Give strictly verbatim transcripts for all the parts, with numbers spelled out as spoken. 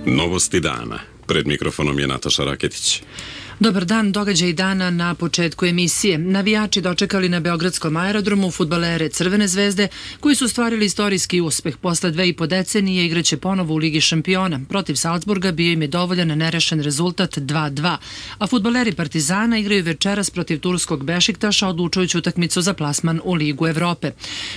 Novosti dana. Pred mikrofonom je Nataša Raketić. Dobar dan, događaj dana na početku emisije. Navijači dočekali na beogradskom aerodromu fudbalere Crvene zvezde koji su stvarili istorijski uspeh. Posle dve i po decenije igraće ponovo u Ligi šampiona. Protiv Salzburga bio im je dovoljan nerešen rezultat dva dva, a fudbaleri Partizana igraju večeras protiv turskog Bešiktaša odlučujuću utakmicu za plasman u Ligu Evrope.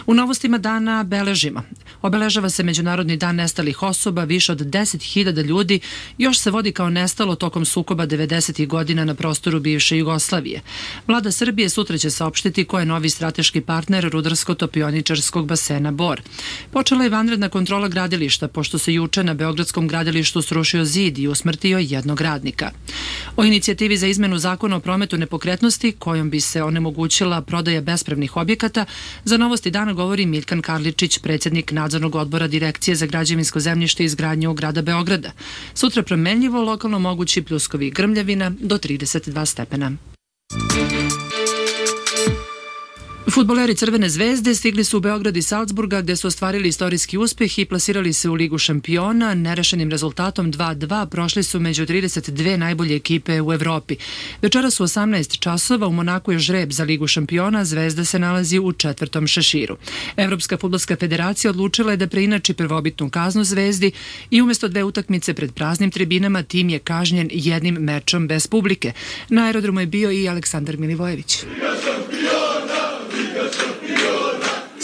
U novostima dana beležimo. Obeležava se Međunarodni dan nestalih osoba, više od deset hiljada ljudi još se vodi kao nestalo tokom sukoba devedesetih godina na prostoru bivše Jugoslavije. Vlada Srbije sutra će saopštiti ko je novi strateški partner rudarsko-topioničarskog basena Bor. Počela je vanredna kontrola gradilišta, pošto se juče na beogradskom gradilištu srušio zid i usmrtio jednog radnika. O inicijativi za izmenu zakona o prometu nepokretnosti, kojom bi se onemogućila prodaja bespravnih objekata, za Novosti dana govori Miljkan Karličić, predsjednik nadzornog odbora Direkcije za građevinsko zemljište i izgradnju grada Beograda. Sutra promenljivo, lokalno mogući pljuskovi i grmljavina do trideset dva stepena. Fudbaleri Crvene zvezde stigli su u Beograd i Salzburga gde su ostvarili istorijski uspeh i plasirali se u Ligu šampiona. Nerešenim rezultatom dva dva prošli su među trideset dve najbolje ekipe u Evropi. Večeras u osamnaest časova u Monaku je žreb za Ligu šampiona, Zvezda se nalazi u četvrtom šeširu. Evropska fudbalska federacija odlučila je da preinači prvobitnu kaznu Zvezdi i umjesto dve utakmice pred praznim tribinama tim je kažnjen jednim mečom bez publike. Na aerodromu je bio i Aleksandar Milivojević.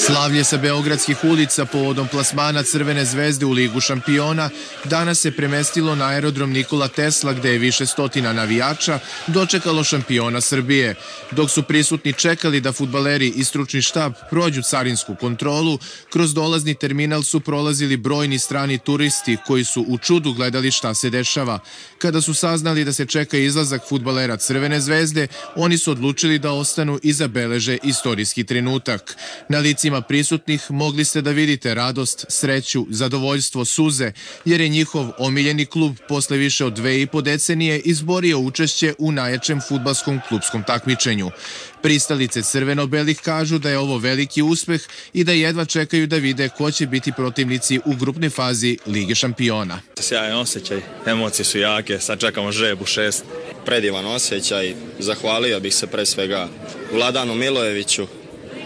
Slavlje sa beogradskih ulica povodom plasmana Crvene zvezde u Ligu šampiona danas se premestilo na aerodrom Nikola Tesla gde je više stotina navijača dočekalo šampiona Srbije. Dok su prisutni čekali da fudbaleri i stručni štab prođu carinsku kontrolu, kroz dolazni terminal su prolazili brojni strani turisti koji su u čudu gledali šta se dešava. Kada su saznali da se čeka izlazak fudbalera Crvene zvezde, oni su odlučili da ostanu i zabeleže istorijski trenutak. Na licima prisutnih mogli ste da vidite radost, sreću, zadovoljstvo, suze, jer je njihov omiljeni klub posle više od dve i po decenije izborio učešće u najjačem fudbalskom klupskom takmičenju. Pristalice crveno-belih kažu da je ovo veliki uspeh i da jedva čekaju da vide ko će biti protivnici u grupnoj fazi Lige šampiona. Sjajan osjećaj, emocije su jake, sad čekamo žreb u šest. Predivan osjećaj, zahvalio bih se pre svega Vladanu Milojeviću,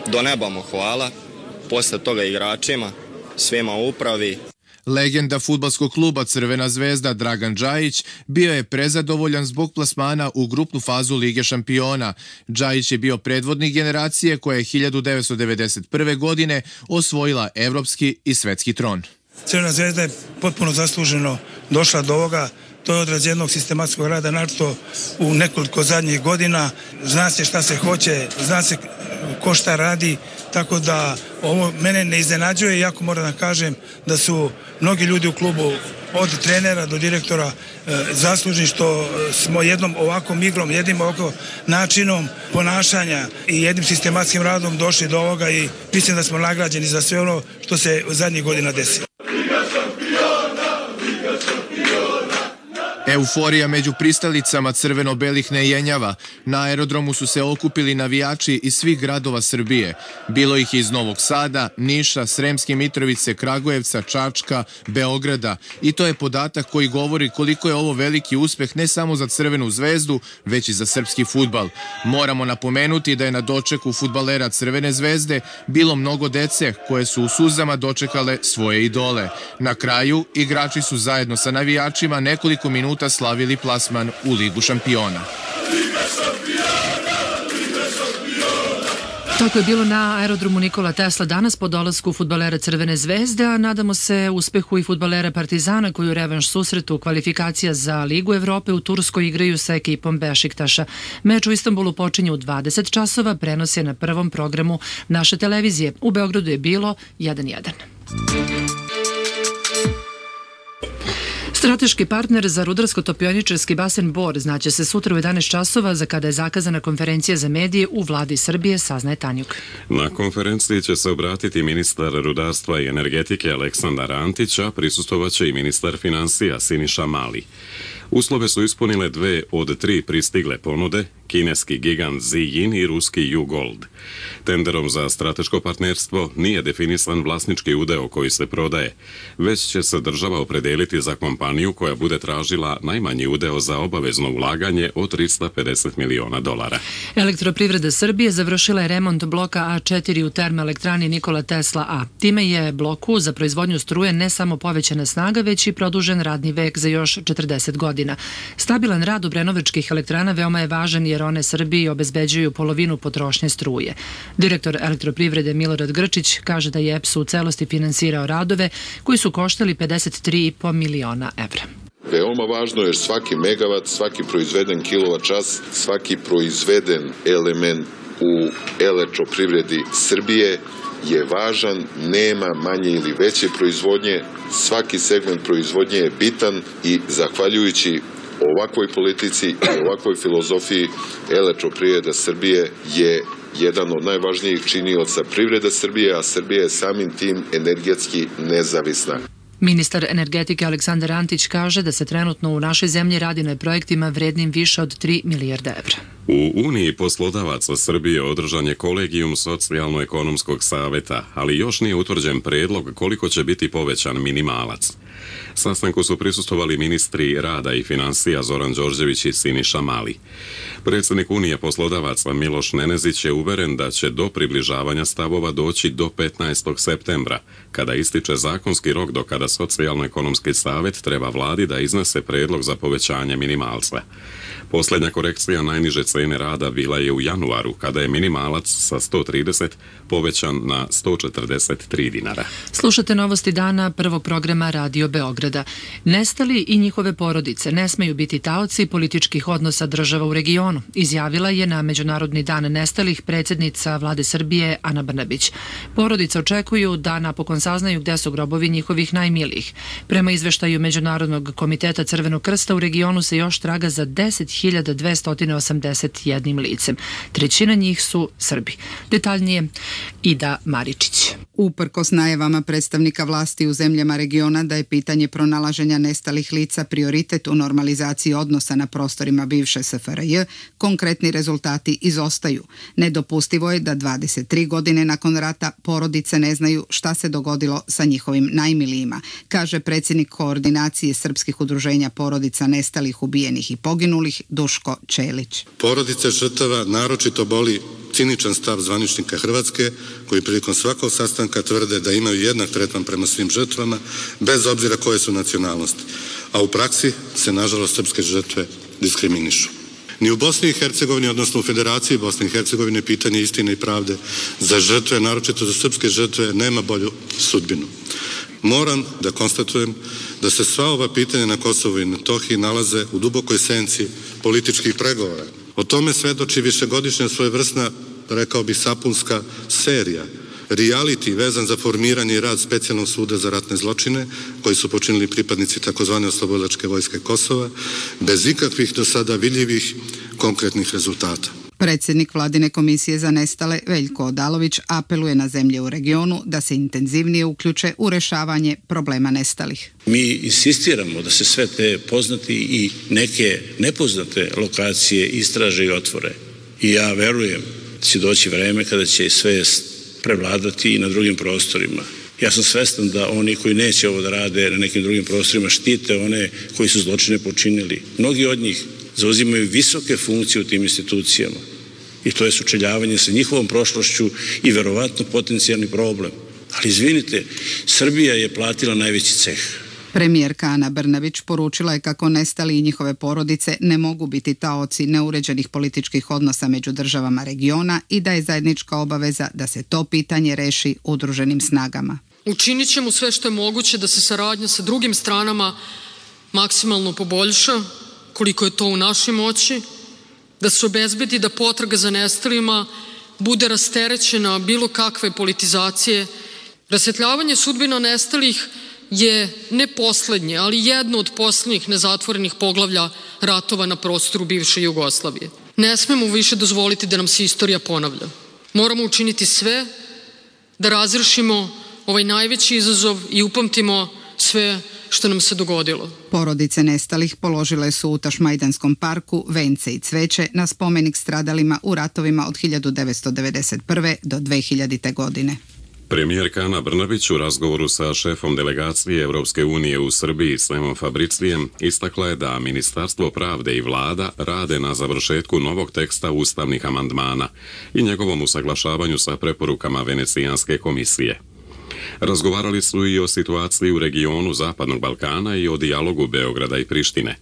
do neba mu hvala, posle toga igračima, svima u upravi. Legenda fudbalskog kluba Crvena zvezda Dragan Džajić bio je prezadovoljan zbog plasmana u grupnu fazu Lige šampiona. Džajić je bio predvodnik generacije koja je hiljadu devetsto devedeset prve. godine osvojila evropski i svetski tron. Crvena zvezda je potpuno zasluženo došla do ovoga. To je odraz jednog sistematskog rada, naročito u nekoliko zadnjih godina. Zna se šta se hoće, zna se ko šta radi, tako da ovo mene ne iznenađuje, iako moram da kažem da su mnogi ljudi u klubu, od trenera do direktora, zaslužni što smo jednom ovakvom igrom, jednim ovakvom načinom ponašanja i jednim sistematskim radom došli do ovoga i mislim da smo nagrađeni za sve ono što se zadnjih godina desilo. Euforija među pristalicama crveno-belih ne jenjava. Na aerodromu su se okupili navijači iz svih gradova Srbije. Bilo ih iz Novog Sada, Niša, Sremske Mitrovice, Kragujevca, Čačka, Beograda. I to je podatak koji govori koliko je ovo veliki uspeh ne samo za Crvenu zvezdu, već i za srpski fudbal. Moramo napomenuti da je na dočeku fudbalera Crvene zvezde bilo mnogo dece koje su u suzama dočekale svoje idole. Na kraju, igrači su zajedno sa navijačima nekoliko minuta slavili plasman u Ligu šampiona. Tako je bilo na aerodromu Nikola Tesla danas po dolasku fudbalera Crvene zvezde, a nadamo se uspehu i fudbalera Partizana koji u revanš susretu kvalifikacija za Ligu Evrope u Turskoj igraju sa ekipom Bešiktaša. Meč u Istanbulu počinje u dvadeset časova, prenos je na prvom programu naše televizije. U Beogradu je bilo jedan jedan. Strateški partner za rudarsko-topioničarski basen Bor znaće se sutra u jedanaest časova, za kada je zakazana konferencija za medije u vladi Srbije, saznaje Tanjuk. Na konferenciji će se obratiti ministar rudarstva i energetike Aleksandar Antić, a prisustvovaće i ministar finansija Siniša Mali. Uslove su ispunile dve od tri pristigle ponude, kineski gigant Ziyin i ruski U-Gold. Tenderom za strateško partnerstvo nije definisan vlasnički udeo koji se prodaje, već će se država opredeliti za kompaniju koja bude tražila najmanji udeo za obavezno ulaganje od trista pedeset miliona dolara. Elektroprivreda Srbije završila je remont bloka A četiri u termoelektrani Nikola Tesla A. Time je bloku za proizvodnju struje ne samo povećana snaga, već i produžen radni vek za još četrdeset godina. Stabilan rad obrenovačkih elektrana veoma je važan jer one Srbiji obezbeđuju polovinu potrošnje struje. Direktor elektroprivrede Milorad Grčić kaže da je E P S u celosti finansirao radove koji su koštali pedeset tri i po miliona evra. Veoma važno je svaki megavat, svaki proizveden kilovat čas, svaki proizveden element u elektroprivredi Srbije je važan, nema manje ili veće proizvodnje, svaki segment proizvodnje je bitan i zahvaljujući ovakvoj politici i ovakvoj filozofiji elektroprivreda Srbije je jedan od najvažnijih činioca privrede Srbije, a Srbija je samim tim energetski nezavisna. Ministar energetike Aleksandar Antić kaže da se trenutno u našoj zemlji radi na projektima vrednim više od tri milijarde evra. U Uniji poslodavaca Srbije održan je kolegijum Socijalno-ekonomskog saveta, ali još nije utvrđen predlog koliko će biti povećan minimalac. Sastanku su prisustvovali ministri rada i finansija Zoran Đorđević i Siniša Mali. Predsjednik Unije poslodavaca Miloš Nenezić je uveren da će do približavanja stavova doći do petnaestog septembra, kada ističe zakonski rok do kada Socijalno-ekonomski savet treba vladi da iznese predlog za povećanje minimalca. Posljednja korekcija najniže cene rada bila je u januaru, kada je minimalac sa sto trideset povećan na sto četrdeset tri dinara. Slušate novosti dana prvog programa Radio Beograda. Nestali i njihove porodice ne smeju biti taoci političkih odnosa država u regionu, izjavila je na Međunarodni dan nestalih predsjednica vlade Srbije Ana Brnabić. Porodice očekuju da napokon saznaju gde su grobovi njihovih najmilijih. Prema izveštaju Međunarodnog komiteta Crvenog krsta u regionu se još traga za deset hiljada dvesta osamdeset jedan licem. Trećina njih su Srbi. Detaljnije Ida Maričić. Uprkos najavama predstavnika vlasti u zemljama regiona da je pitanje pronalaženja nestalih lica prioritet u normalizaciji odnosa na prostorima bivše S F R J, konkretni rezultati izostaju. Nedopustivo je da dvadeset tri godine nakon rata porodice ne znaju šta se dogodilo sa njihovim najmilijima, kaže predsjednik koordinacije srpskih udruženja porodica nestalih, ubijenih i poginulih Duško Čelić. Porodice žrtava naročito boli ciničan stav zvaničnika Hrvatske, koji prilikom svakog sastanka tvrde da imaju jednak tretman prema svim žrtvama, bez obzira koje su nacionalnosti. A u praksi se, nažalost, srpske žrtve diskriminišu. Ni u Bosni i Hercegovini, odnosno u Federaciji Bosne i Hercegovine, pitanje istine i pravde za žrtve, naročito za srpske žrtve, nema bolju sudbinu. Moram da konstatujem da se sva ova pitanja na Kosovu i Metohiji nalaze u dubokoj senci političkih pregovora. O tome svedoči višegodišnja svojevrsna, rekao bih, sapunska serija, reality vezan za formiranje i rad specijalnog suda za ratne zločine koji su počinili pripadnici takozvane oslobodilačke vojske Kosova, bez ikakvih do sada vidljivih konkretnih rezultata. Predsjednik Vladine komisije za nestale Veljko Odalović apeluje na zemlje u regionu da se intenzivnije uključe u rešavanje problema nestalih. Mi insistiramo da se sve te poznati i neke nepoznate lokacije istraže i otvore. I ja verujem da će doći vreme kada će sve prevladati i na drugim prostorima. Ja sam svestan da oni koji neće ovo da rade na nekim drugim prostorima štite one koji su zločine počinili. Mnogi od njih zauzimaju visoke funkcije u tim institucijama i to je sučeljavanje sa njihovom prošlošću i verovatno potencijalni problem. Ali izvinite, Srbija je platila najveći ceh. Premijerka Ana Brnabić poručila je kako nestali i njihove porodice ne mogu biti taoci neuređenih političkih odnosa među državama regiona i da je zajednička obaveza da se to pitanje reši udruženim snagama. Učinit ćemo sve što je moguće da se saradnja sa drugim stranama maksimalno poboljša, koliko je to u našoj moći, da se obezbedi da potraga za nestalima bude rasterećena bilo kakve politizacije. Rasvetljavanje sudbina nestalih je ne poslednje, ali jedno od poslednjih nezatvorenih poglavlja ratova na prostoru bivše Jugoslavije. Ne smemo više dozvoliti da nam se istorija ponavlja. Moramo učiniti sve da razrešimo ovaj najveći izazov i upamtimo sve što nam se dogodilo. Porodice nestalih položile su u Tašmajdanskom parku vence i cveće na spomenik stradalima u ratovima od hiljadu devetsto devedeset prve do dve hiljadite. godine. Premijerka Ana Brnabić u razgovoru sa šefom delegacije Evropske unije u Srbiji Semom Fabricijem istakla je da Ministarstvo pravde i vlada rade na završetku novog teksta ustavnih amandmana i njegovom usaglašavanju sa preporukama Venecijanske komisije. Razgovarali su i o situaciji u regionu Zapadnog Balkana i o dijalogu Beograda i Prištine.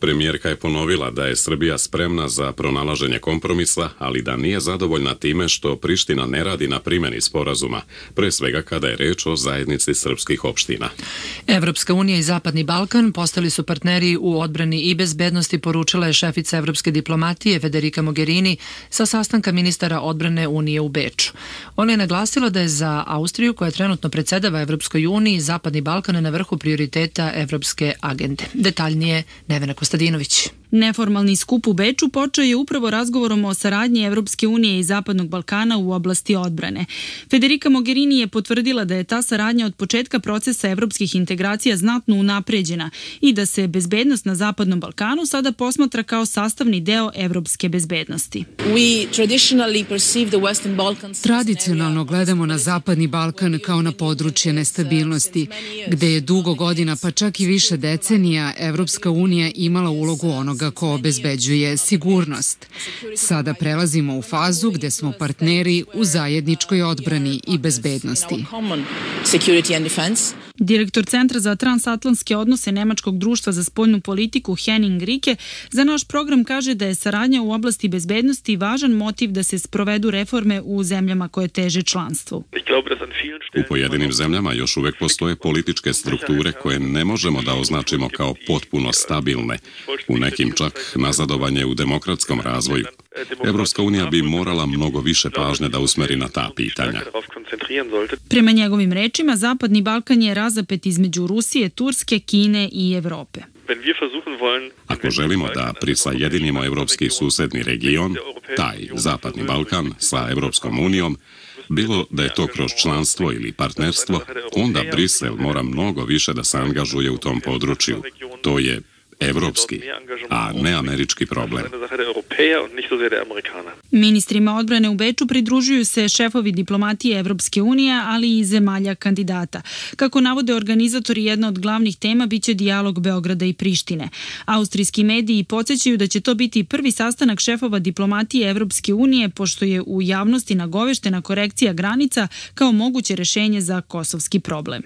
Premijerka je ponovila da je Srbija spremna za pronalaženje kompromisa, ali da nije zadovoljna time što Priština ne radi na primjeni sporazuma, pre svega kada je reč o zajednici srpskih opština. Evropska unija i Zapadni Balkan postali su partneri u odbrani i bezbednosti, poručila je šefica evropske diplomatije Federica Mogherini sa sastanka ministara odbrane Unije u Beču. Ona je naglasila da je za Austriju, koja trenutno predsedava Evropskoj uniji, Zapadni Balkan na vrhu prioriteta evropske agende. Detaljnije Nevena Kostadinović. Neformalni skup u Beču počeo je upravo razgovorom o saradnji Evropske unije i Zapadnog Balkana u oblasti odbrane. Federica Mogherini je potvrdila da je ta saradnja od početka procesa evropskih integracija znatno unapređena i da se bezbednost na Zapadnom Balkanu sada posmatra kao sastavni deo evropske bezbednosti. Tradicionalno gledamo na Zapadni Balkan kao na područje nestabilnosti, gde je dugo godina, pa čak i više decenija, Evropska unija imala ulogu onoga ko obezbeđuje sigurnost. Sada prelazimo u fazu gde smo partneri u zajedničkoj odbrani i bezbednosti. Direktor Centra za transatlantske odnose Nemačkog društva za spoljnu politiku Henning Rike za naš program kaže da je saradnja u oblasti bezbednosti važan motiv da se sprovedu reforme u zemljama koje teže članstvu. U pojedinim zemljama još uvek postoje političke strukture koje ne možemo da označimo kao potpuno stabilne, u nekim čak nazadovanje u demokratskom razvoju. Evropska unija bi morala mnogo više pažnje da usmeri na ta pitanja. Prema njegovim rečima, Zapadni Balkan je razapet između Rusije, Turske, Kine i Evrope. Ako želimo da prisajedinimo evropski susedni region, taj Zapadni Balkan sa Evropskom unijom, bilo da je to kroz članstvo ili partnerstvo, onda Brisel mora mnogo više da se angažuje u tom području. To je evropski, a ne američki problem. Ministrima odbrane u Beču pridružuju se šefovi diplomatije Evropske unije, ali i zemalja kandidata. Kako navode organizatori, jedna od glavnih tema biće dijalog Beograda i Prištine. Austrijski mediji podsjećaju da će to biti prvi sastanak šefova diplomatije Evropske unije, pošto je u javnosti nagoveštena korekcija granica kao moguće rešenje za kosovski problem.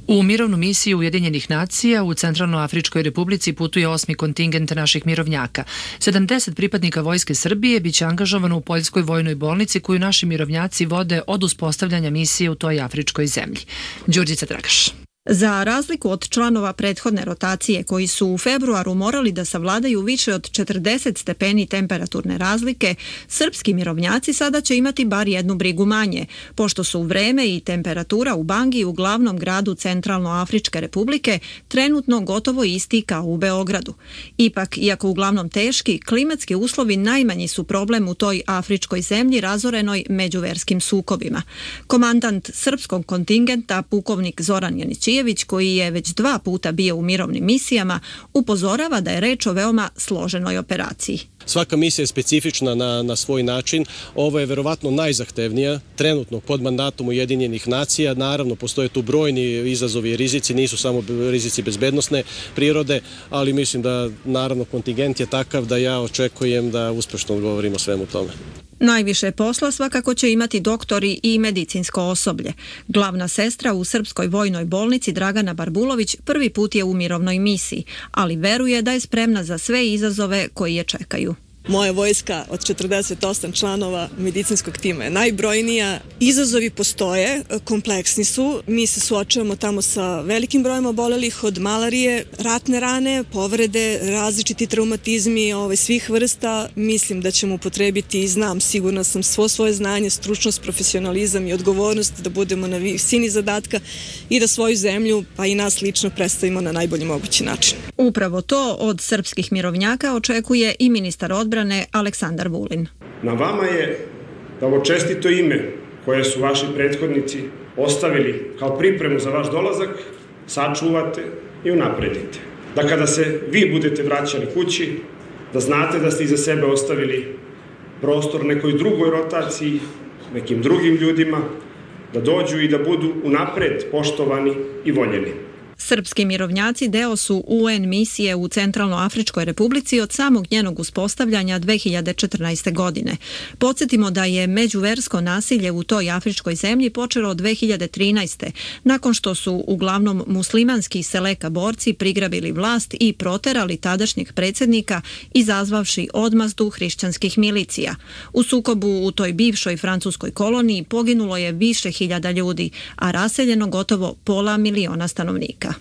U mirovnu misiju Ujedinjenih nacija u Centralnoafričkoj republici putuje osmi kontingent naših mirovnjaka. sedamdeset pripadnika Vojske Srbije biće angažovano u Poljskoj vojnoj bolnici koju naši mirovnjaci vode od uspostavljanja misije u toj afričkoj zemlji. Đurđica Dragaš. Za razliku od članova prethodne rotacije koji su u februaru morali da savladaju više od četrdeset stepeni temperaturne razlike, srpski mirovnjaci sada će imati bar jednu brigu manje, pošto su vreme i temperatura u Bangi, u glavnom gradu Centralnoafričke republike, trenutno gotovo isti kao u Beogradu. Ipak, iako uglavnom teški, klimatski uslovi najmanji su problem u toj afričkoj zemlji razorenoj međuverskim sukobima. Komandant srpskog kontingenta, pukovnik Zoran Janići, koji je već dva puta bio u mirovnim misijama, upozorava da je reč o veoma složenoj operaciji. Svaka misija je specifična na, na svoj način. Ovo je verovatno najzahtevnija, trenutno pod mandatom Ujedinjenih nacija. Naravno, postoje tu brojni izazovi i rizici, nisu samo rizici bezbednosne prirode, ali mislim da naravno kontingent je takav da ja očekujem da uspešno odgovorimo svemu tome. Najviše posla svakako će imati doktori i medicinsko osoblje. Glavna sestra u Srpskoj vojnoj bolnici Dragana Barbulović prvi put je u mirovnoj misiji, ali veruje da je spremna za sve izazove koji je čekaju. Moja vojska od četrdeset osam članova medicinskog tima je najbrojnija. Izazovi postoje, kompleksni su. Mi se suočavamo tamo sa velikim brojem obolelih od malarije, ratne rane, povrede, različiti traumatizmi ovaj, svih vrsta. Mislim da ćemo upotrebiti i znam, sigurna sam, svo svoje znanje, stručnost, profesionalizam i odgovornost da budemo na visini zadatka i da svoju zemlju, pa i nas lično, predstavimo na najbolji mogući način. Upravo to od srpskih mirovnjaka očekuje i ministar odbrane Aleksandar Vulin. Na vama je da ovo čestito ime koje su vaši prethodnici ostavili kao pripremu za vaš dolazak sačuvate i unapredite. Da kada se vi budete vraćali kući, da znate da ste iza sebe ostavili prostor nekoj drugoj rotaciji, nekim drugim ljudima, da dođu i da budu unapred poštovani i voljeni. Srpski mirovnjaci deo su U N misije u Centralnoafričkoj republici od samog njenog uspostavljanja dve hiljade četrnaeste. godine. Podsjetimo da je međuversko nasilje u toj afričkoj zemlji počelo od dve hiljade trinaeste. nakon što su uglavnom muslimanski Seleka borci prigrabili vlast i proterali tadašnjeg predsjednika, izazvavši odmazdu hrišćanskih milicija. U sukobu u toj bivšoj francuskoj koloniji poginulo je više hiljada ljudi, a raseljeno gotovo pola miliona stanovnika.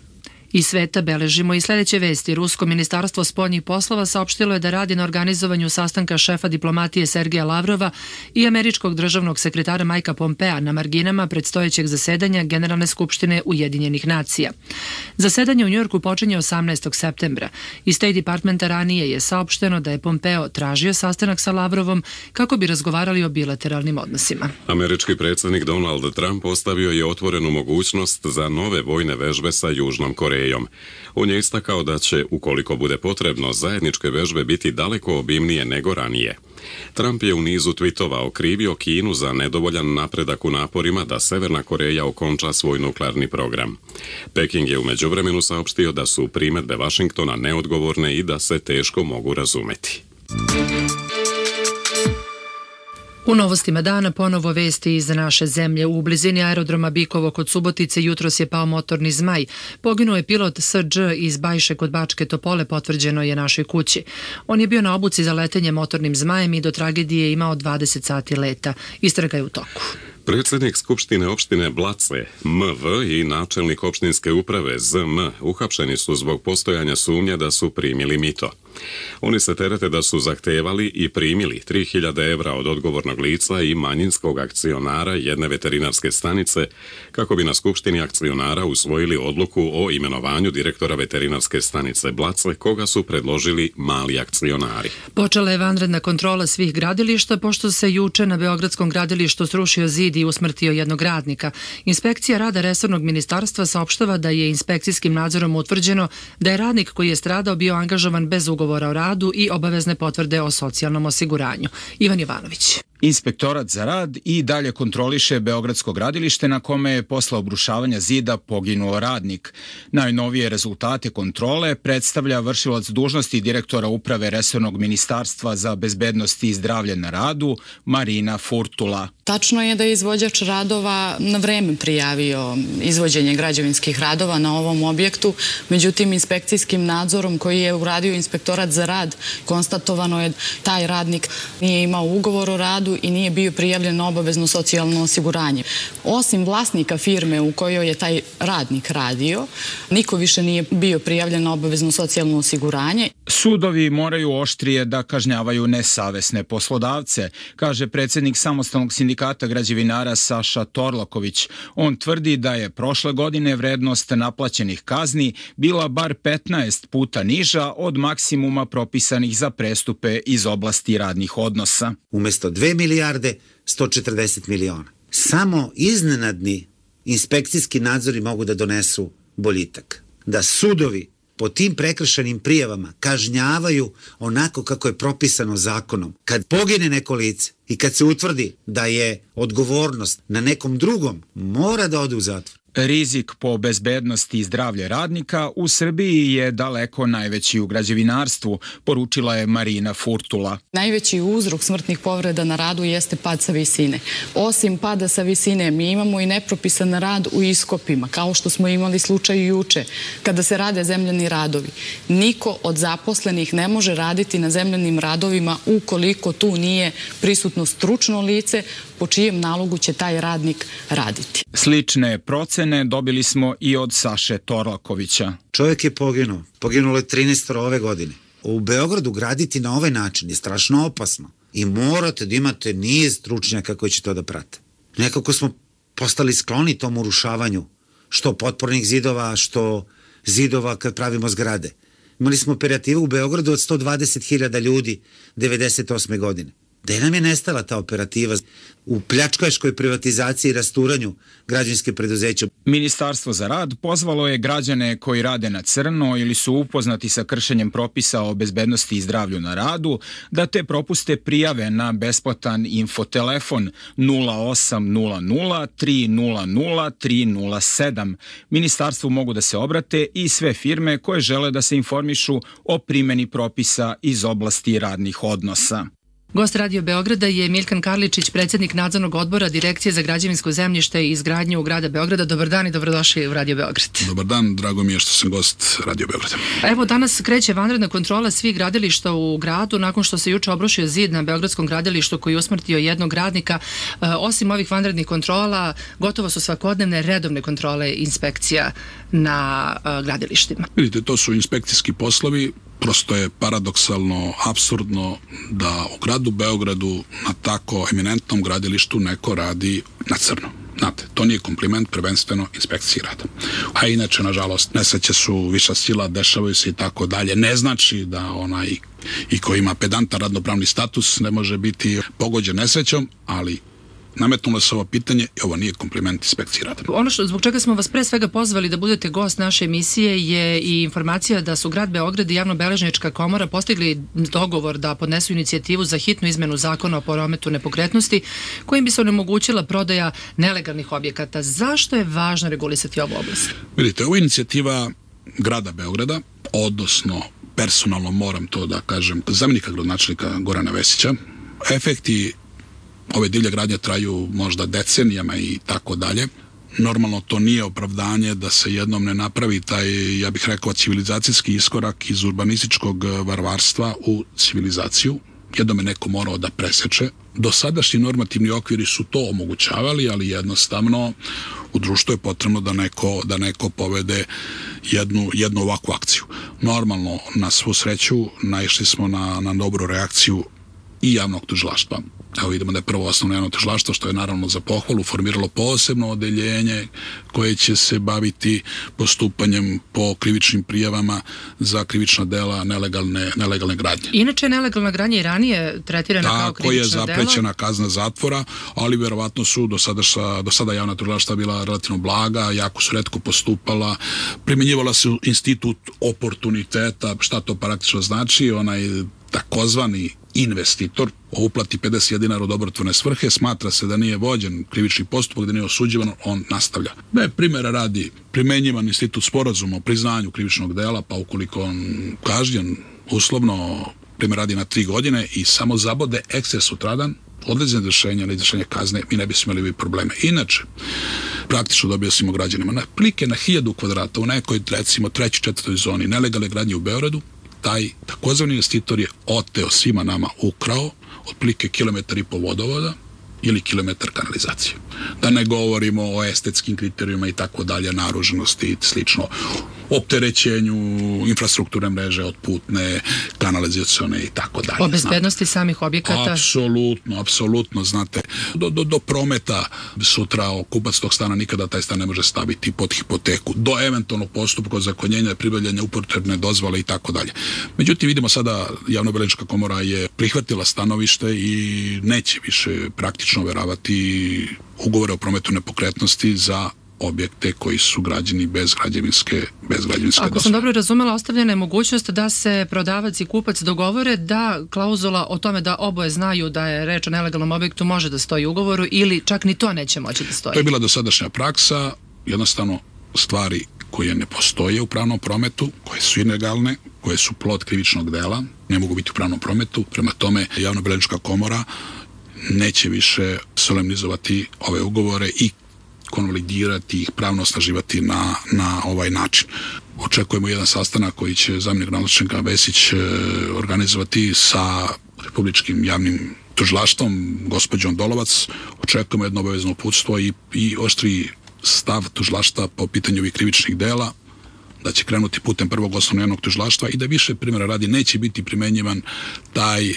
Iz sveta beležimo i sljedeće vesti. Rusko ministarstvo spoljnih poslova saopštilo je da radi na organizovanju sastanka šefa diplomatije Sergeja Lavrova i američkog državnog sekretara Majka Pompea na marginama predstojećeg zasedanja Generalne skupštine Ujedinjenih nacija. Zasedanje u Njujorku počinje osamnaestog septembra. Iz State Departmenta ranije je saopšteno da je Pompeo tražio sastanak sa Lavrovom kako bi razgovarali o bilateralnim odnosima. Američki predsjednik Donald Trump postavio je otvorenu mogućnost za nove vojne vežbe sa Južnom Korejom. On je istakao da će, ukoliko bude potrebno, zajedničke vežbe biti daleko obimnije nego ranije. Trump je u nizu tvitova okrivio Kinu za nedovoljan napredak u naporima da Severna Koreja okonča svoj nuklearni program. Peking je u međuvremenu saopštio da su primjedbe Vašingtona neodgovorne i da se teško mogu razumeti. U novostima dana ponovo vesti iz naše zemlje. U blizini aerodroma Bikovo kod Subotice jutros je pao motorni zmaj. Poginuo je pilot S Đ iz Bajše kod Bačke Topole, potvrđeno je našoj kući. On je bio na obuci za letenje motornim zmajem i do tragedije imao dvadeset sati leta. Istraga je u toku. Predsjednik Skupštine opštine Blace, M V i načelnik opštinske uprave Z M uhapšeni su zbog postojanja sumnje da su primili mito. Oni se terete da su zahtevali i primili tri hiljade evra od odgovornog lica i manjinskog akcionara jedne veterinarske stanice kako bi na Skupštini akcionara usvojili odluku o imenovanju direktora veterinarske stanice Blace, koga su predložili mali akcionari. Počela je vanredna kontrola svih gradilišta pošto se juče na Beogradskom gradilištu srušio zid i usmrtio jednog radnika. Inspekcija rada resornog ministarstva saopštava da je inspekcijskim nadzorom utvrđeno da je radnik koji je stradao bio angažovan bez ugovora o radu i obavezne potvrde o socijalnom osiguranju. Ivan Jovanović. Inspektorat za rad i dalje kontroliše Beogradsko gradilište na kome je posle obrušavanja zida poginuo radnik. Najnovije rezultate kontrole predstavlja vršilac dužnosti direktora uprave resornog ministarstva za bezbednost i zdravlje na radu, Marina Furtula. Tačno je da je izvođač radova na vreme prijavio izvođenje građevinskih radova na ovom objektu, međutim inspekcijskim nadzorom koji je uradio Inspektorat za rad konstatovano je taj radnik nije imao ugovor o radu i nije bio prijavljen na obavezno socijalno osiguranje. Osim vlasnika firme u kojoj je taj radnik radio, niko više nije bio prijavljen na obavezno socijalno osiguranje. Sudovi moraju oštrije da kažnjavaju nesavesne poslodavce, kaže predsjednik samostalnog sindikata građevinara Saša Torlaković. On tvrdi da je prošle godine vrednost naplaćenih kazni bila bar petnaest puta niža od maksimuma propisanih za prestupe iz oblasti radnih odnosa. Umesto dve milijarde, sto četrdeset miliona. Samo iznenadni inspekcijski nadzori mogu da donesu boljitak. Da sudovi po tim prekršenim prijavama kažnjavaju onako kako je propisano zakonom. Kad pogine neko lice i kad se utvrdi da je odgovornost na nekom drugom, mora da ode u zatvor. Rizik po bezbednosti i zdravlje radnika u Srbiji je daleko najveći u građevinarstvu, poručila je Marina Furtula. Najveći uzrok smrtnih povreda na radu jeste pad sa visine. Osim pada sa visine, mi imamo i nepropisan rad u iskopima, kao što smo imali slučaj juče, kada se rade zemljani radovi. Niko od zaposlenih ne može raditi na zemljanim radovima ukoliko tu nije prisutno stručno lice po čijem nalogu će taj radnik raditi. Slične procene dobili smo i od Saše Torlakovića. Čovjek je poginuo. Poginulo je trinaest ove godine. U Beogradu graditi na ovaj način je strašno opasno. I morate da imate niz stručnjaka koji će to da prate. Nekako smo postali skloni tom urušavanju. Što potpornih zidova, što zidova kad pravimo zgrade. Imali smo operativu u Beogradu od sto dvadeset hiljada ljudi devedeset osme godine. Gde nam je nestala ta operativa u pljačkaškoj privatizaciji i rasturanju građevinske preduzeća? Ministarstvo za rad pozvalo je građane koji rade na crno ili su upoznati sa kršenjem propisa o bezbednosti i zdravlju na radu da te propuste prijave na besplatan infotelefon nula osam nula nula tri nula nula tri nula sedam. Ministarstvu mogu da se obrate i sve firme koje žele da se informišu o primjeni propisa iz oblasti radnih odnosa. Gost Radio Beograda je Milkan Karličić, predsjednik nadzornog odbora Direkcije za građevinsko zemljište i izgradnju grada Beograda. Dobar dan i dobrodošli u Radio Beograd. Dobar dan, drago mi je što sam gost Radio Beograda. Evo, danas kreće vanredna kontrola svih gradilišta u gradu nakon što se juče obrušio zid na Beogradskom gradilištu koji je usmrtio jednog radnika. E, osim ovih vanrednih kontrola, gotovo su svakodnevne redovne kontrole inspekcija na e, gradilištima. Vidite, to su inspekcijski poslovi. Prosto je paradoksalno, apsurdno da u gradu Beogradu na tako eminentnom gradilištu neko radi na crno. Znate, to nije kompliment, prvenstveno inspekciji rada. A inače, nažalost, nesreće su viša sila, dešavaju se i tako dalje. Ne znači da onaj i ko ima pedantan radnopravni status ne može biti pogođen nesrećom, ali nametnulo se ovo pitanje i ovo nije kompliment inspekciji rada. Ono što, zbog čega smo vas pre svega pozvali da budete gost naše emisije je i informacija da su grad Beograd i Javnobeležnička komora postigli dogovor da podnesu inicijativu za hitnu izmenu zakona o prometu nepokretnosti kojim bi se onemogućila prodaja nelegalnih objekata. Zašto je važno regulisati ovu oblast? Vidite, ovo je inicijativa grada Beograda, odnosno personalno moram to da kažem, zamjenika gradonačelnika Gorana Vesića. Efekti ove divlje gradnje traju možda decenijama i tako dalje. Normalno to nije opravdanje da se jednom ne napravi taj, ja bih rekao, civilizacijski iskorak iz urbanističkog varvarstva u civilizaciju. Jednom je neko morao da preseče. Dosadašnji normativni okviri su to omogućavali, ali jednostavno u društvu je potrebno da neko, da neko povede jednu, jednu ovakvu akciju. Normalno, na svu sreću, naišli smo na, na dobru reakciju i javnog tužilaštva. Evo vidimo da je prvo osnovno javno tužilaštvo, što je naravno za pohvalu, formiralo posebno odeljenje koje će se baviti postupanjem po krivičnim prijavama za krivična dela nelegalne, nelegalne gradnje. Inače, nelegalna gradnja i ranije tretirana kao krivično delo. Tako je zaprećena kazna zatvora, ali verovatno su do sada, do sada javna tužilaštva bila relativno blaga, jako su retko postupala, primjenjivala se institut oportuniteta, šta to praktično znači, onaj takozvani investitor uplati pedeset dinara u dobrotvorne svrhe, smatra se da nije vođen krivični postupak, da nije osuđivan, on nastavlja. Da je primjera radi primenjivan institut sporazuma o priznanju krivičnog dela, pa ukoliko on kažnjen uslovno primjer radi na tri godine i samo zabode eksces sutradan, odlazne izvršenja na izvršenje kazne, mi ne bismo imali probleme. Inače, praktično dobio smo građanima na plike na hiljadu kvadrata u nekoj, recimo, trećoj, četvrtoj zoni nelegalne gradnje u Beogradu, taj takozvani investitor je oteo svima nama, ukrao otprilike kilometar i po vodovoda ili kilometar kanalizacije. Da ne govorimo o estetskim kriterijima i tako dalje, naruženosti i slično, opterećenju infrastrukturne mreže od putne, kanalizacione i tako dalje. O bezbednosti samih objekata? Apsolutno, apsolutno, znate, do, do, do prometa sutra kupac tog stana nikada taj stan ne može staviti pod hipoteku, do eventualnog postupka ozakonjenja, pribavljanja upotrebne dozvole i tako dalje. Međutim, vidimo sada, Javnobeležnička komora je prihvatila stanovište i neće više praktično overavati ugovore o prometu nepokretnosti za objekte koji su građeni bez građevinske, bez građevinske dozvole. Ako sam dobro razumela, ostavljena je mogućnost da se prodavac i kupac dogovore da klauzula o tome da oboje znaju da je reč o nelegalnom objektu može da stoji u ugovoru ili čak ni to neće moći da stoji. To je bila dosadašnja praksa, jednostavno stvari koje ne postoje u pravnom prometu, koje su ilegalne, koje su plod krivičnog dela, ne mogu biti u pravnom prometu. Prema tome, Javnobeležnička komora neće više solemnizovati ove ugovore i konvalidirati ih, pravno osnaživati na, na ovaj način. Očekujemo jedan sastanak koji će zamjenik gradonačelnika Vesić organizovati sa Republičkim javnim tužilaštvom, gospođom Dolovac. Očekujemo jedno obavezno uputstvo i, i oštri stav tužilaštva po pitanju ovih krivičnih dela, da će krenuti putem prvog osnovnog javnog tužilaštva i da više primjera radi neće biti primenjivan taj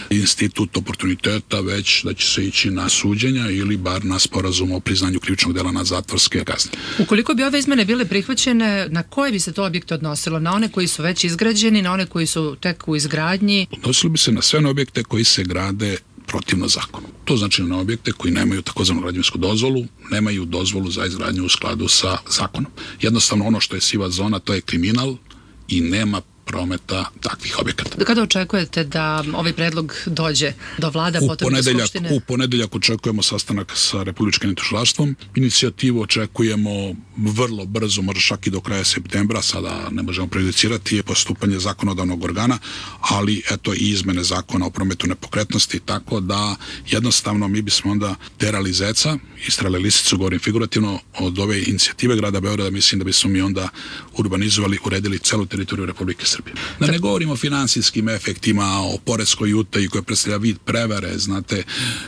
institut oportuniteta, već da će se ići na suđenja ili bar na sporazum o priznanju krivičnog dela na zatvorske kazne. Ukoliko bi ove izmene bile prihvaćene, na koje bi se to objekte odnosilo? Na one koji su već izgrađeni, na one koji su tek u izgradnji? Odnosilo bi se na sve one objekte koji se grade protivno zakonu. To znači na objekte koji nemaju takozvanu građevinsku dozvolu, nemaju dozvolu za izgradnju u skladu sa zakonom. Jednostavno ono što je siva zona, to je kriminal i nema prometa takvih objekata. Kada očekujete da ovaj predlog dođe do vlada, u potom do Skupštine? U ponedeljak očekujemo sastanak sa Republičkim tužilaštvom. Inicijativu očekujemo vrlo brzo, možda čak i do kraja septembra, sada ne možemo prejudicirati postupanje zakonodavnog organa, ali eto i izmene zakona o prometu nepokretnosti, tako da jednostavno mi bismo onda terali zeca, istrali lisicu, govorim figurativno, od ove inicijative grada Beograda, mislim da bismo mi onda urbanizovali, uredili celu teritoriju Republike Srbije. Da ne govorimo o finansijskim efektima, o poreskoj utaji koja predstavlja vid prevare, znate,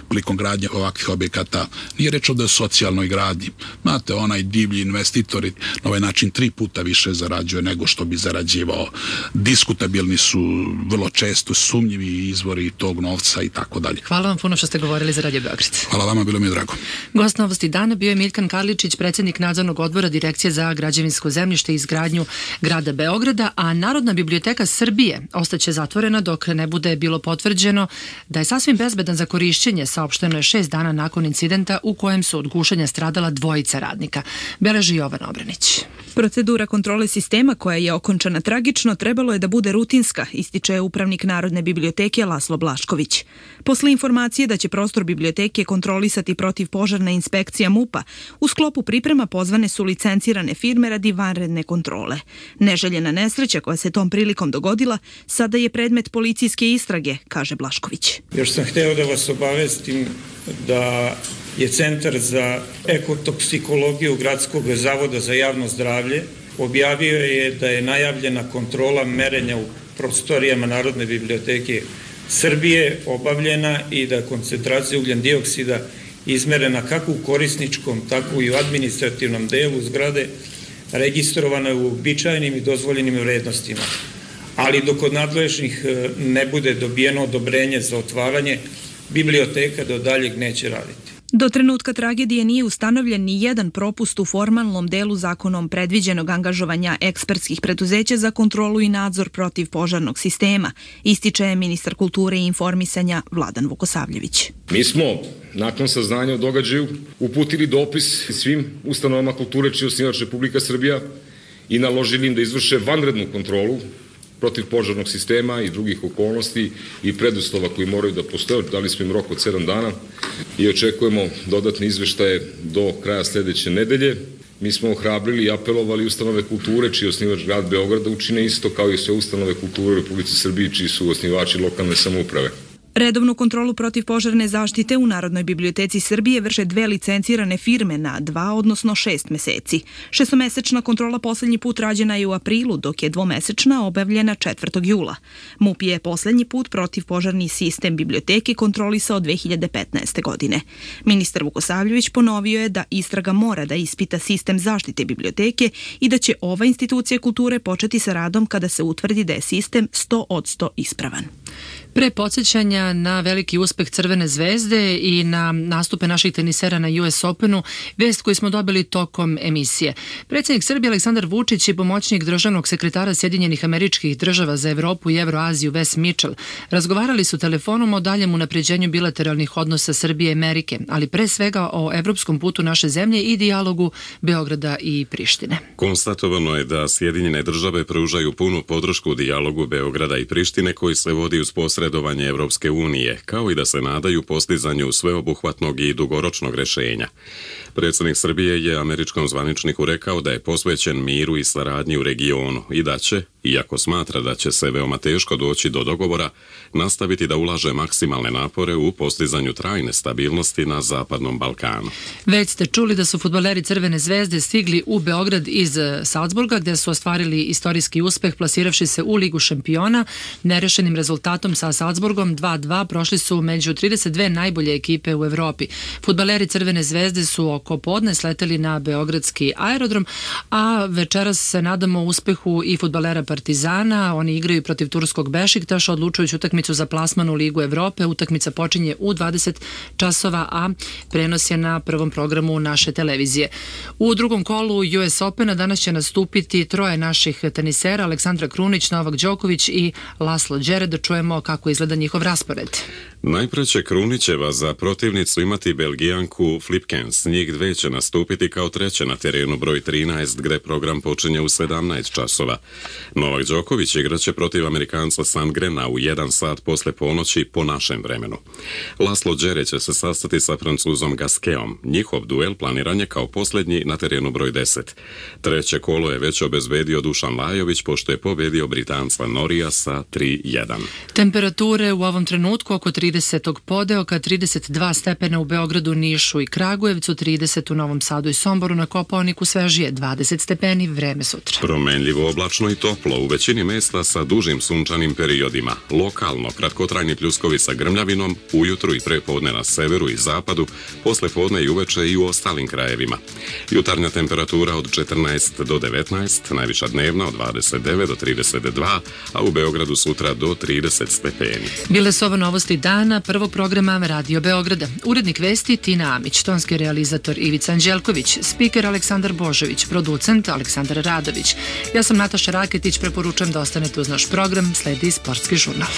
prilikom gradnje ovakvih objekata. Nije reč ovde o socijalnoj gradnji. Znate, onaj divlji investitor na ovaj način tri puta više zarađuje nego što bi zarađivao. Diskutabilni su vrlo često sumnjivi izvori tog novca i tako dalje. Hvala vam puno što ste govorili za Radio Beograd. Hvala vama, bilo mi je drago. Gost Novosti dana bio je Miljkan Karličić, predsjednik nadzornog odbora Direkcije za građevinsko zemljište i izgradnju grada Beograda, a Narodna biblioteka Srbije ostaće zatvorena dok ne bude bilo potvrđeno da je sasvim bezbedan za korišćenje, saopšteno je šest dana nakon incidenta u kojem su od gušenja stradala dvojica radnika. Beleži Jovan Obranić. Procedura kontrole sistema koja je okončana tragično trebalo je da bude rutinska, ističe upravnik Narodne biblioteke Laslo Blašković. Posle informacije da će prostor biblioteke kontrolisati protivpožarna inspekcija MUP-a, u sklopu priprema pozvane su licencirane firme radi vanredne kontrole. Neželjena nesreća koja se tom prilikom dogodila sada je predmet policijske istrage, kaže Blašković. Još sam hteo da vas obavestim da je Centar za ekotoksikologiju Gradskog zavoda za javno zdravlje objavio je da je najavljena kontrola merenja u prostorijama Narodne biblioteke Srbije obavljena i da koncentracija ugljen dioksida izmerena kako u korisničkom, tako i u administrativnom delu zgrade registrovana je u uobičajenim i dozvoljenim vrednostima. Ali dok od nadležnih ne bude dobijeno odobrenje za otvaranje, biblioteka do daljeg neće raditi. Do trenutka tragedije nije ustanovljen ni jedan propust u formalnom delu zakonom predviđenog angažovanja ekspertskih preduzeća za kontrolu i nadzor protiv požarnog sistema, ističe ministar kulture i informisanja Vladan Vukosavljević. Mi smo, nakon saznanja o događaju, uputili dopis svim ustanovama kulture čiji je osnivač Republika Srbija i naložili im da izvrše vanrednu kontrolu protiv požarnog sistema i drugih okolnosti i preduslova koji moraju da postoje. Dali smo im rok od sedam dana i očekujemo dodatne izveštaje do kraja sledeće nedelje. Mi smo ohrabrili i apelovali ustanove kulture čiji je osnivač grad Beograd da učine isto kao i sve ustanove kulture u Republici Srbiji čiji su osnivači lokalne samouprave. Redovnu kontrolu protiv požarne zaštite u Narodnoj biblioteci Srbije vrše dve licencirane firme na dva, odnosno šest meseci. Šestomesečna kontrola poslednji put rađena je u aprilu, dok je dvomesečna obavljena četvrtog jula. MUP je poslednji put protiv požarni sistem biblioteke kontrolisao dve hiljade petnaeste. godine. Ministar Vukosavljević ponovio je da istraga mora da ispita sistem zaštite biblioteke i da će ova institucija kulture početi sa radom kada se utvrdi da je sistem sto posto ispravan. Pre podsjećanja na veliki uspeh Crvene zvezde i na nastupe naših tenisera na U S Openu, vest koju smo dobili tokom emisije. Predsjednik Srbije Aleksandar Vučić i pomoćnik državnog sekretara Sjedinjenih Američkih Država za Evropu i Evroaziju Wes Mitchell razgovarali su telefonom o daljem unapređenju bilateralnih odnosa Srbije i Amerike, ali pre svega o evropskom putu naše zemlje i dijalogu Beograda i Prištine. Konstatovano je da Sjedinjene države pružaju punu podršku dijalogu Beograda i Prištine koji se vodi uz posredovanje Evropske unije, kao i da se nadaju postizanju sveobuhvatnog i dugoročnog rešenja. Predsjednik Srbije je američkom zvaničniku rekao da je posvećen miru i saradnji u regionu i da će, iako smatra da će se veoma teško doći do dogovora, nastaviti da ulaže maksimalne napore u postizanju trajne stabilnosti na Zapadnom Balkanu. Već ste čuli da su fudbaleri Crvene zvezde stigli u Beograd iz Salzburga, gde su ostvarili istorijski uspeh plasiravši se u Ligu šampiona. Nerešenim rezultatom sa Salzburgom dva dva prošli su među trideset dve najbolje ekipe u Evropi. Fudbaleri Crvene zvezde su oko podne sleteli na beogradski aerodrom, a večeras se nadamo uspehu i fudbalera Partizana. Oni igraju protiv turskog Bešiktaša, odlučujući utakmicu za plasman u Ligu Evrope. Utakmica počinje u dvadeset časova, a prenos je na prvom programu naše televizije. U drugom kolu U S Opena danas će nastupiti troje naših tenisera, Aleksandra Krunić, Novak Đoković i Laslo Đere. Da čujemo kako izgleda njihov raspored. Najpre će Krunićeva za protivnicu imati Belgijanku Flipkens. Njih dve će nastupiti kao treće na terenu broj trinaest, gde program počinje u sedamnaest časova. Novak Đoković igraće protiv Amerikanca Sandgrena u jedan sat posle ponoći po našem vremenu. Laslo Đere će se sastati sa Francuzom Gasqueom. Njihov duel planiran je kao posljednji na terenu broj deset. Treće kolo je već obezbedio Dušan Lajović, pošto je pobedio Britanca Norija sa tri jedan. Temperature u ovom trenutku oko trideset podeoka, trideset dva stepena u Beogradu, Nišu i Kragujevcu, trideset u Novom Sadu i Somboru, na Kopaoniku svežije dvadeset stepeni, vreme sutra. Promenljivo, oblačno i toplo, u većini mesta sa dužim sunčanim periodima. Lokalno, kratkotrajni pljuskovi sa grmljavinom, ujutru i prepodne na severu i zapadu, posle podne i uveče i u ostalim krajevima. Jutarnja temperatura od četrnaest do devetnaest, najviša dnevna od dvadeset devet do trideset dva, a u Beogradu sutra do trideset stepeni. Bile su ovo novosti dana prvog programa Radio Beograda. Urednik vesti Tina Amić, tonski realizator Ivica Anđelković, spiker Aleksandar Božović, producent Aleksandar Radović. Ja sam Nataša Raketić, preporučujem da ostanete uz naš program, sledi Sportski žurnal.